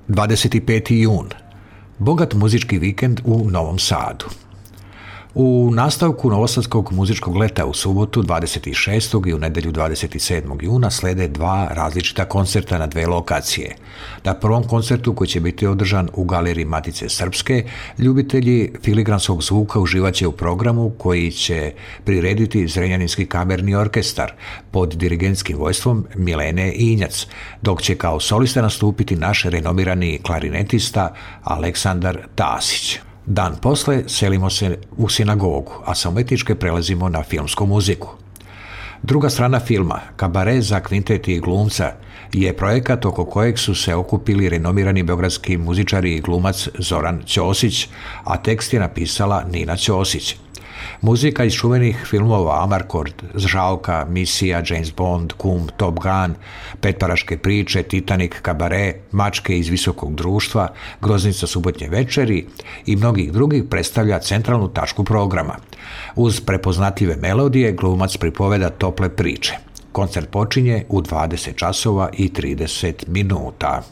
25. jun. Bogat muzički vikend u Novom Sadu. U nastavku Novosadskog muzičkog leta u subotu 26. i u nedjelju 27. juna slede dva različita koncerta na dve lokacije. Na prvom koncertu, koji će biti održan u Galeriji Matice Srpske, ljubitelji filigranskog zvuka uživaće u programu koji će prirediti Zrenjaninski kamerni orkestar pod dirigentskim vojstvom Milene Injac, dok će kao solista nastupiti naš renomirani klarinetista Aleksandar Tasić. Dan posle selimo se u sinagogu, a sa umetničke prelazimo na filmsku muziku. Druga strana filma, Kabare za kvintet i glumca, je projekat oko kojeg su se okupili renomirani beogradski muzičari i glumac Zoran Ćosić, a tekst je napisala Nina Ćosić. Muzika iz čuvenih filmova Amarcord, Žalka, Misija, James Bond, Kum, Top Gun, Petparaške priče, Titanic, Kabare, Mačke iz visokog društva, Groznica subotnje večeri i mnogih drugih predstavlja centralnu tačku programa. Uz prepoznatljive melodije glumac pripoveda tople priče. Koncert počinje u 20 časova i 30 minuta.